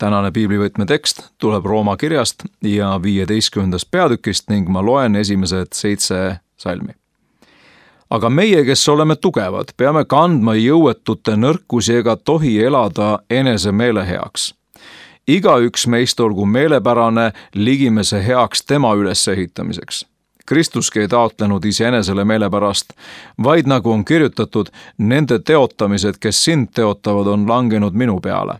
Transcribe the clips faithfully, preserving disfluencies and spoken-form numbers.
tänane piiblivõtme tekst tuleb Rooma kirjast ja viieteistkümnendast peatükist ning ma loen esimesed seitse salmi. Aga meie, kes oleme tugevad, peame kandma jõuetute nõrkusi ega tohi elada enese meele heaks. Igaüks meist olgu meelepärane ligimese heaks tema ülesehitamiseks. Kristuski ei taotlenud iseenesele meelepärast, vaid nagu on kirjutatud, nende teotamised, kes sind teotavad, on langenud minu peale.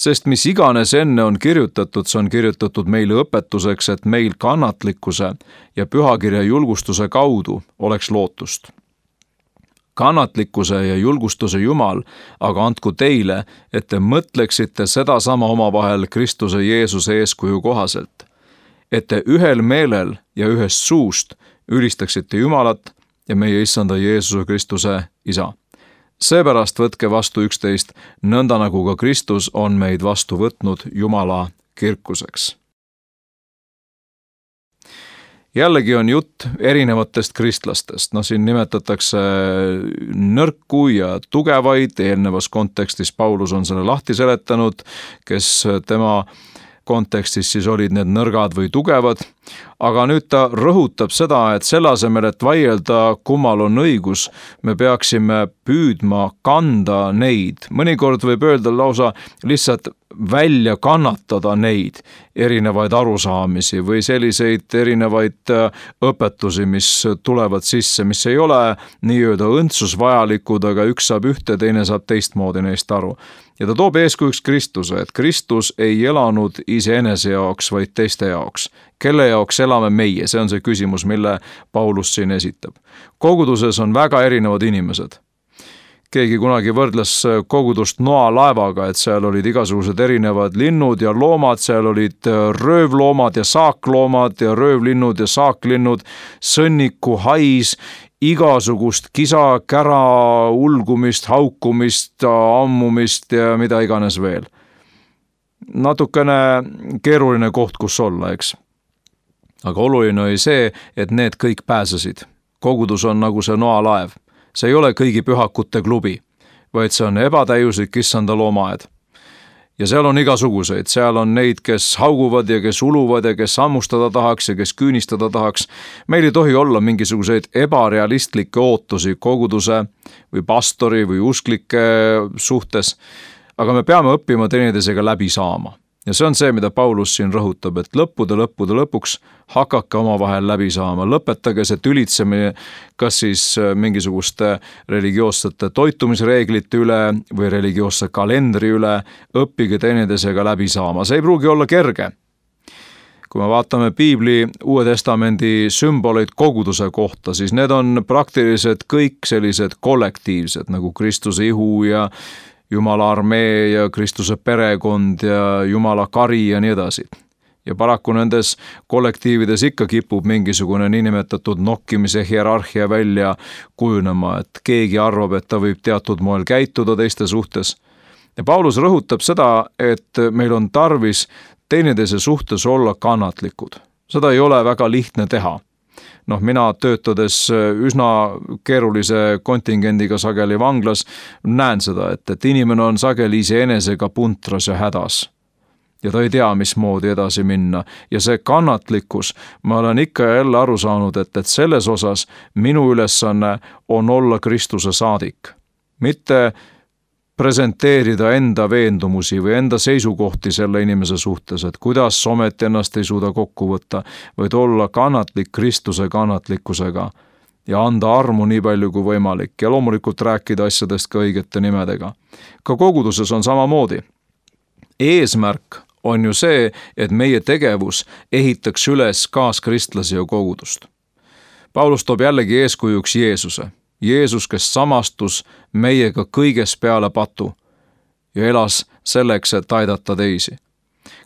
Sest mis iganes enne on kirjutatud, see on kirjutatud meile õpetuseks, et meil kannatlikkuse ja pühakirja julgustuse kaudu oleks lootust. Kannatlikkuse ja julgustuse Jumal aga andku teile, et te mõtleksite sedasama omavahel Kristuse Jeesuse eeskuju kohaselt, et te ühel meelel ja ühest suust ülistaksite Jumalat ja meie issanda Jeesuse Kristuse Isa. Seepärast võtke vastu üksteist, nõnda nagu ka Kristus on meid vastu võtnud Jumala kirkuseks. Jällegi on jutt erinevatest kristlastest. No siin nimetatakse nõrku ja tugevaid, eelnevas kontekstis Paulus on selle lahti seletanud, kes tema kontekstis siis olid need nõrgad või tugevad, aga nüüd ta rõhutab seda, et selle asemel, et vaielda, kummal on õigus, me peaksime püüdma kanda neid. Mõnikord võib öelda lausa lihtsalt välja kannatada neid erinevaid arusaamisi või selliseid erinevaid õpetusi, mis tulevad sisse, mis ei ole nii-öelda õndsusvajalikud, aga üks saab ühte, teine saab teistmoodi neist aru. Ja ta toob eeskujuks Kristuse, et Kristus ei elanud iseenese jaoks, vaid teiste jaoks. Kelle jaoks elame meie? See on see küsimus, mille Paulus siin esitab. Koguduses on väga erinevad inimesed. Keegi kunagi võrdles kogudust noalaevaga, et seal olid igasugused erinevad linnud ja loomad, seal olid röövloomad ja saakloomad ja röövlinnud ja saaklinnud, sõnniku hais, igasugust kisa, kära, ulgumist, haukumist, ammumist ja mida iganes veel. Natukene keeruline koht, kus olla, eks. Aga oluline oli see, et need kõik pääsesid. Kogudus on nagu see noalaev. See ei ole kõigi pühakute klubi, vaid see on ebatäiuslik issanda loomaaed. Ja seal on igasuguseid, seal on neid, kes hauguvad ja kes uluvad ja kes ammustada tahaks ja kes küünistada tahaks. Meil ei tohi olla mingisuguseid ebarealistlikke ootusi koguduse või pastori või usklike suhtes, aga me peame õppima teineteisega läbi saama. Ja see on see, mida Paulus siin rõhutab, et lõppude, lõppude lõpuks hakake omavahel läbi saama. Lõpetage see tülitsemine kas siis mingisuguste religioossete toitumisreeglite üle või religioosse kalendri üle, õppige teineteisega läbi saama. See ei pruugi olla kerge. Kui me vaatame Piibli Uue Testamendi sümboleid koguduse kohta, siis need on praktiliselt kõik sellised kollektiivsed, nagu Kristuse ihu ja Jumala armee ja Kristuse perekond ja Jumala kari ja nii edasi. Ja paraku nendes kollektiivides ikka kipub mingisugune niinimetatud nokkimise hierarhia välja kujunema, et keegi arvab, et ta võib teatud moel käituda teiste suhtes. Ja Paulus rõhutab seda, et meil on tarvis teineteise suhtes olla kannatlikud. Seda ei ole väga lihtne teha. Noh, mina töötades üsna keerulise kontingendiga sageli vanglas näen seda, et, et inimene on sageli iseenesega puntras ja hädas. Ja ta ei tea, mismoodi edasi minna. Ja see kannatlikkus, ma olen ikka ja jälle aru saanud, et, et selles osas minu ülesanne on olla Kristuse saadik. Mitte presenteerida enda veendumusi või enda seisukohti selle inimese suhtes, et kuidas ometi ennast ei suuda kokku võtta, vaid olla kannatlik Kristuse kannatlikkusega ja anda armu nii palju kui võimalik ja loomulikult rääkida asjadest ka õigete nimedega. Ka koguduses on samamoodi. Eesmärk on ju see, et meie tegevus ehitaks üles kaaskristlasi ja kogudust. Paulus toob jällegi eeskujuks Jeesuse. Jeesus, kes samastus meiega kõiges peale patu ja elas selleks, et aidata teisi.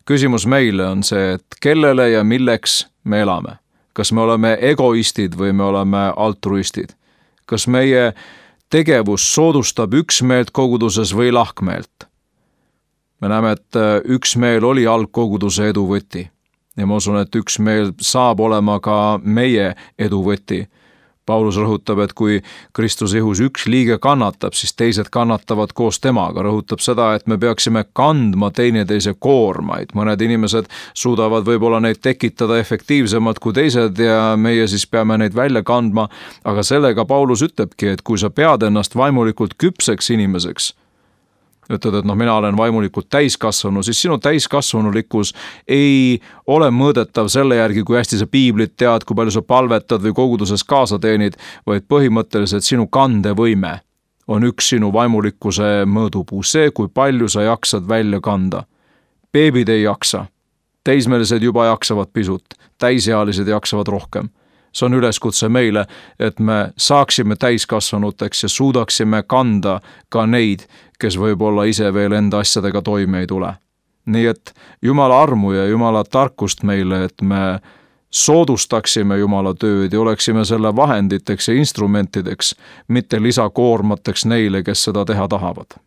Küsimus meile on see, et kellele ja milleks me elame. Kas me oleme egoistid või me oleme altruistid? Kas meie tegevus soodustab üksmeelt koguduses või lahkmeelt? Me näeme, et üksmeel oli algkoguduse eduvõti ja ma usun, et üksmeel saab olema ka meie eduvõti. Paulus rõhutab, et kui Kristuse ihus üks liige kannatab, siis teised kannatavad koos temaga. Rõhutab seda, et me peaksime kandma teineteise koormaid. Mõned inimesed suudavad võib-olla neid tekitada efektiivsemalt kui teised ja meie siis peame neid välja kandma. Aga sellega Paulus ütlebki, et kui sa pead ennast vaimulikult küpseks inimeseks, ütled, et noh, mina olen vaimulikult täiskasvanu, siis sinu täiskasvanulikkus ei ole mõõdetav selle järgi, kui hästi sa piiblit tead, kui palju sa palvetad või koguduses kaasa teenid, vaid põhimõtteliselt sinu kandevõime on üks sinu vaimulikkuse mõõdupuu, see, kui palju sa jaksad välja kanda. Beebid ei jaksa, teismelised juba jaksavad pisut, täisealised jaksavad rohkem. See on üleskutse meile, et me saaksime täiskasvanuteks ja suudaksime kanda ka neid, kes võib-olla ise veel enda asjadega toime ei tule. Nii et Jumala armu ja Jumala tarkust meile, et me soodustaksime Jumala tööd ja oleksime selle vahenditeks ja instrumentideks, mitte lisakoormateks neile, kes seda teha tahavad.